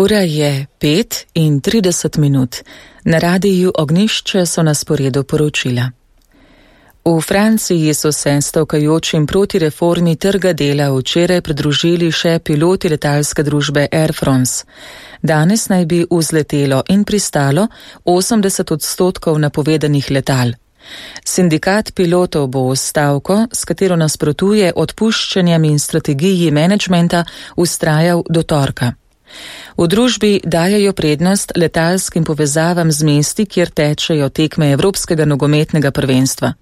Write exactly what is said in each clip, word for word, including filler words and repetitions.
Ura je pet in trideset minut. Na radiju Ognjišče so na sporedu poročila. V Franciji so se stavkajočim proti reformi trga dela včeraj pridružili še piloti letalske družbe Air France. Danes naj bi vzletelo in pristalo osemdeset odstotkov napovedanih letal. Sindikat pilotov bo stavko, s katero nasprotuje odpuščanjem in strategiji menedžmenta, vztrajal do torka. V družbi dajajo prednost letalskim povezavam z mesti, kjer tečejo tekme Evropskega nogometnega prvenstva.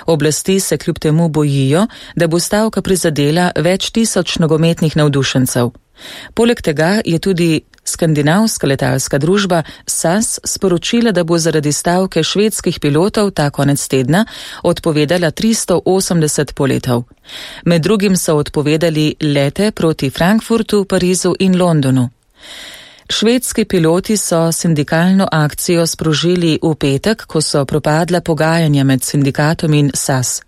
Oblasti se kljub temu bojijo, da bo stavka prizadela več tisoč nogometnih navdušencev. Poleg tega je tudi skandinavska letalska družba S A S sporočila, da bo zaradi stavke švedskih pilotov ta konec tedna odpovedala tristo osemdeset poletov. Med drugim so odpovedali lete proti Frankfurtu, Parizu in Londonu. Švedski piloti so sindikalno akcijo sprožili v petek, ko so propadla pogajanja med sindikatom in S A S.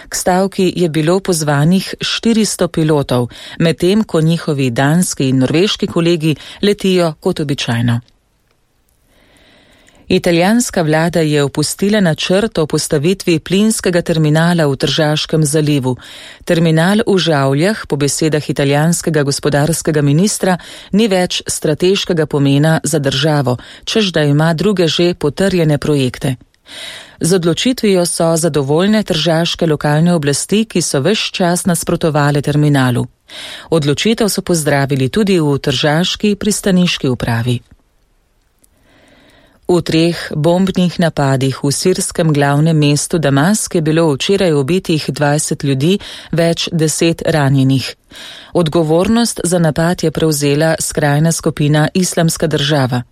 K stavki je bilo pozvanih štiristo pilotov, medtem ko njihovi danski in norveški kolegi letijo kot običajno. Italijanska vlada je opustila načrt o postavitvi plinskega terminala v Tržaškem zalivu. Terminal v Žavljah, po besedah italijanskega gospodarskega ministra, ni več strateškega pomena za državo, čež da ima druge že potrjene projekte. Z odločitvijo so zadovoljne tržaške lokalne oblasti, ki so ves čas nasprotovale terminalu. Odločitev so pozdravili tudi v tržaški pristaniški upravi. V treh bombnih napadih v sirskem glavnem mestu Damask je bilo včeraj ubitih dvajset ljudi, več deset ranjenih. Odgovornost za napad je prevzela skrajna skupina Islamska država.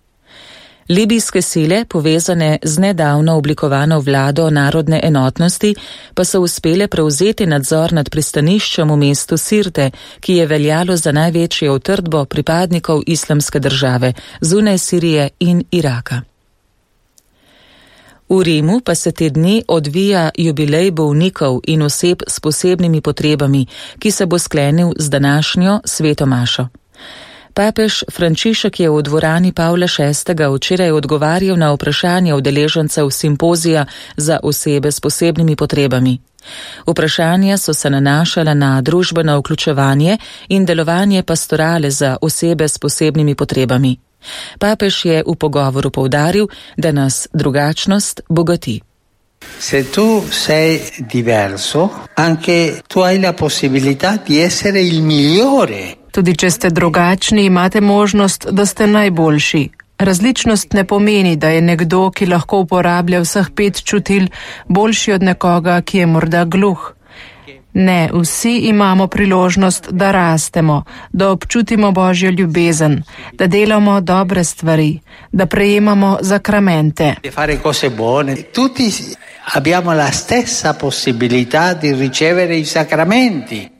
Libijske sile, povezane z nedavno oblikovano vlado narodne enotnosti, pa so uspele prevzeti nadzor nad pristaniščem v mestu Sirte, ki je veljalo za največjo utrdbo pripadnikov Islamske države, zunaj Sirije in Iraka. V Rimu pa se te dni odvija jubilej bolnikov in oseb s posebnimi potrebami, ki se bo sklenil z današnjo sveto mašo. Papež Frančišek je v dvorani Pavla šestega včeraj odgovarjal na vprašanja udeležencev simpozija za osebe s posebnimi potrebami. Vprašanja so se nanašala na družbeno vključevanje in delovanje pastorale za osebe s posebnimi potrebami. Papež je v pogovoru poudaril, da nas drugačnost bogati. Se tu sei diverso, anche tu hai la possibilità di essere il migliore. Tudi če ste drugačni, imate možnost, da ste najboljši. Različnost ne pomeni, da je nekdo, ki lahko uporablja vseh pet čutil, boljši od nekoga, ki je morda gluh. Ne, vsi imamo priložnost, da rastemo, da občutimo Božjo ljubezen, da delamo dobre stvari, da prejemamo zakramente. Tutti abbiamo la stessa possibilità di ricevere i sacramenti.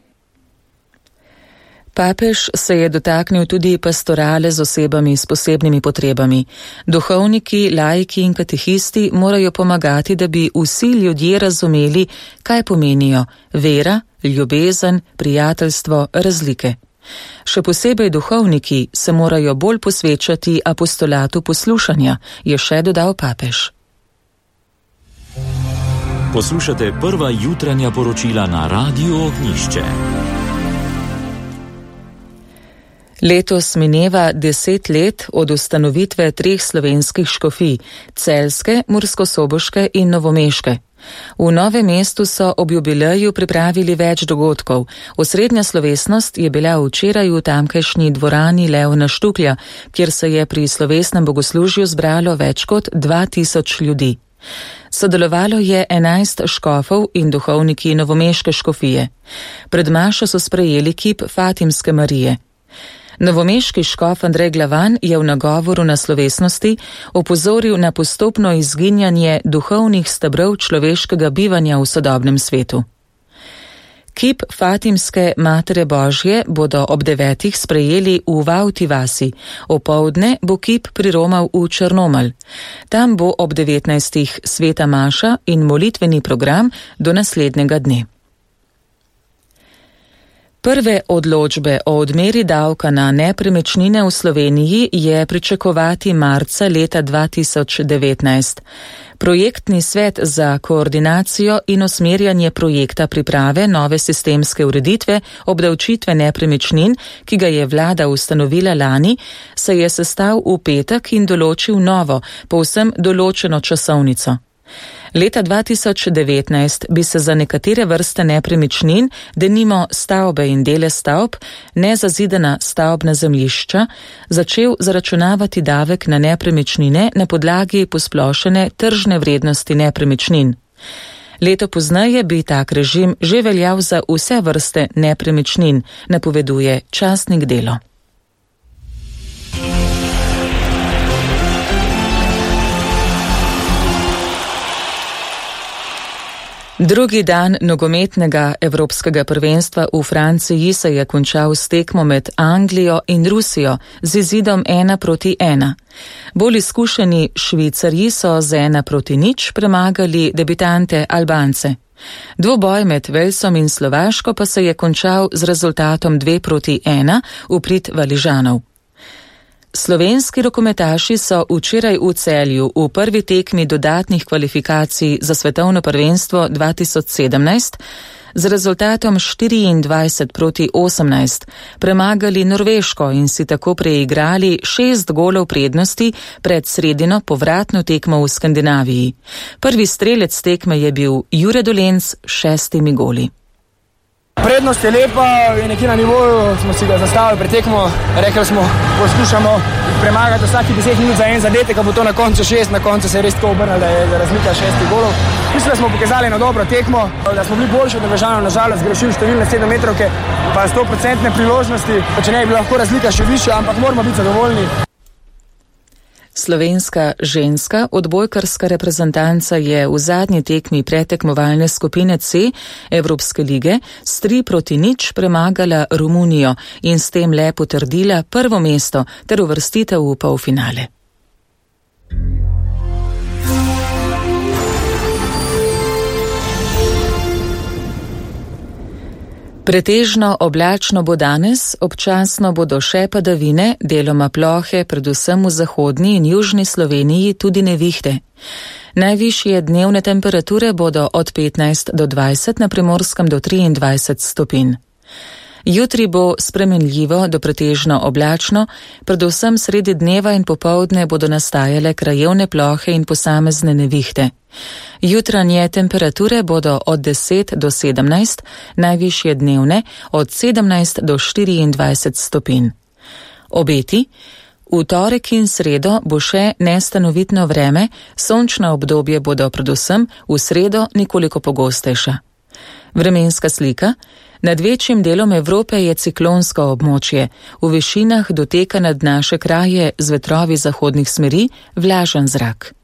Papež se je dotaknil tudi pastorale z osebami s posebnimi potrebami. Duhovniki, laiki in katehisti morajo pomagati, da bi vsi ljudje razumeli, kaj pomenijo vera, ljubezen, prijateljstvo, razlike. Še posebej duhovniki se morajo bolj posvečati apostolatu poslušanja, je še dodal papež. Poslušate prva jutranja poročila na Radiju Ognjišče. Letos mineva deset let od ustanovitve treh slovenskih škofij, celjske, murskosoboške in novomeške. V Novem mestu so ob jubileju pripravili več dogodkov. Osrednja slovesnost je bila včeraj v tamkajšnji dvorani Leona Štuklja, kjer se je pri slovesnem bogoslužju zbralo več kot dva tisoč ljudi. Sodelovalo je enajst škofov in duhovniki novomeške škofije. Pred mašo so sprejeli kip Fatimske Marije. Novomeški škof Andrej Glavan je v nagovoru na slovesnosti opozoril na postopno izginjanje duhovnih stebrov človeškega bivanja v sodobnem svetu. Kip Fatimske Matere Božje bodo ob devetih sprejeli v Vauti vasi, opoldne bo kip priromal v Črnomelj. Tam bo ob devetnajstih sveta maša in molitveni program do naslednjega dne. Prve odločbe o odmeri davka na nepremičnine v Sloveniji je pričakovati marca leta dva tisoč devetnajst. Projektni svet za koordinacijo in usmerjanje projekta priprave nove sistemske ureditve obdavčitve nepremičnin, ki ga je vlada ustanovila lani, se je sestal v petek in določil novo, povsem določeno časovnico. Leta dva tisoč devetnajst bi se za nekatere vrste nepremičnin, denimo stavbe in dele stavb, nezazidana stavbna zemljišča, začel zaračunavati davek na nepremičnine na podlagi posplošene tržne vrednosti nepremičnin. Leto pozneje bi tak režim že veljal za vse vrste nepremičnin, napoveduje časnik Delo. Drugi dan nogometnega evropskega prvenstva v Franciji se je končal s tekmo med Anglijo in Rusijo z izidom ena proti ena. Bolj izkušeni Švicarji so z ena proti nič premagali debitante Albance. Dvoboj med Velsom in Slovaško pa se je končal z rezultatom dve proti ena v prid Valižanov. Slovenski rokometaši so včeraj v Celju v prvi tekmi dodatnih kvalifikacij za svetovno prvenstvo dva tisoč sedemnajst z rezultatom štiriindvajset proti osemnajst premagali Norveško in si tako preigrali šest golov prednosti pred sredino povratno tekmo v Skandinaviji. Prvi strelec tekme je bil Jure Dolenc s šestimi goli. Prednost je lepa in nekje na nivoju smo si ga zastavili pred tekmo. Rekli smo, poskušamo premagati vsaki deset minut za en zadetek, a bo to na koncu šest, na koncu se je res tako obrnilo, da je razlika šestih golov. Mislim, da smo pokazali eno dobro tekmo, da smo bili boljši od Norvežanov, nažalost zgrešili številne sedemmetrovke, pa sto procentne priložnosti, pa če ne bi bila lahko razlika še višja, ampak moramo biti zadovoljni. Slovenska ženska odbojkarska reprezentanca je v zadnji tekmi pretekmovalne skupine C Evropske lige s tri proti nič premagala Romunijo in s tem le potrdila prvo mesto ter uvrstitev v polfinale. Pretežno oblačno bo danes, občasno bodo še padavine, deloma plohe, predvsem v zahodni in južni Sloveniji tudi nevihte. Najvišje dnevne temperature bodo od petnajst do dvajset, na Primorskem do triindvajset stopinj. Jutri bo spremenljivo do pretežno oblačno, predvsem sredi dneva in popoldne bodo nastajale krajevne plohe in posamezne nevihte. Jutranje temperature bodo od deset do sedemnajst, najvišje dnevne od sedemnajst do štiriindvajset stopinj. Obeti: v torek in sredo bo še nestanovitno vreme, sončna obdobje bodo predvsem v sredo nekoliko pogostejša. Vremenska slika: nad večjim delom Evrope je ciklonsko območje, v višinah doteka nad naše kraje z vetrovi zahodnih smeri vlažen zrak.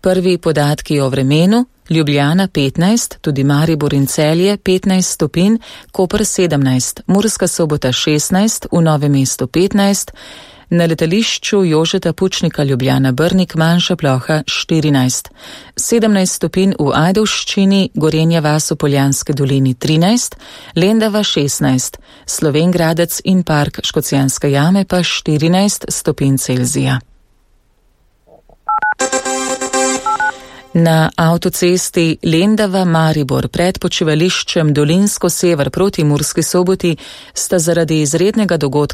Prvi podatki o vremenu: Ljubljana petnajst, tudi Maribor in Celje petnajst stopinj, Koper sedemnajst, Murska Sobota šestnajst, v Novem mestu petnajst, na letališču Jožeta Pučnika Ljubljana Brnik manjša ploha štirinajst, sedemnajst stopinj v Ajdovščini, Gorenja vas v Poljanske dolini trinajst, Lendava šestnajst, Slovenj Gradec in park Škocjanske jame pa štirinajst stopinj Celzija. Na avtocesti Lendava-Maribor pred počivališčem Dolinsko sever proti Murski Soboti sta zaradi izrednega dogodka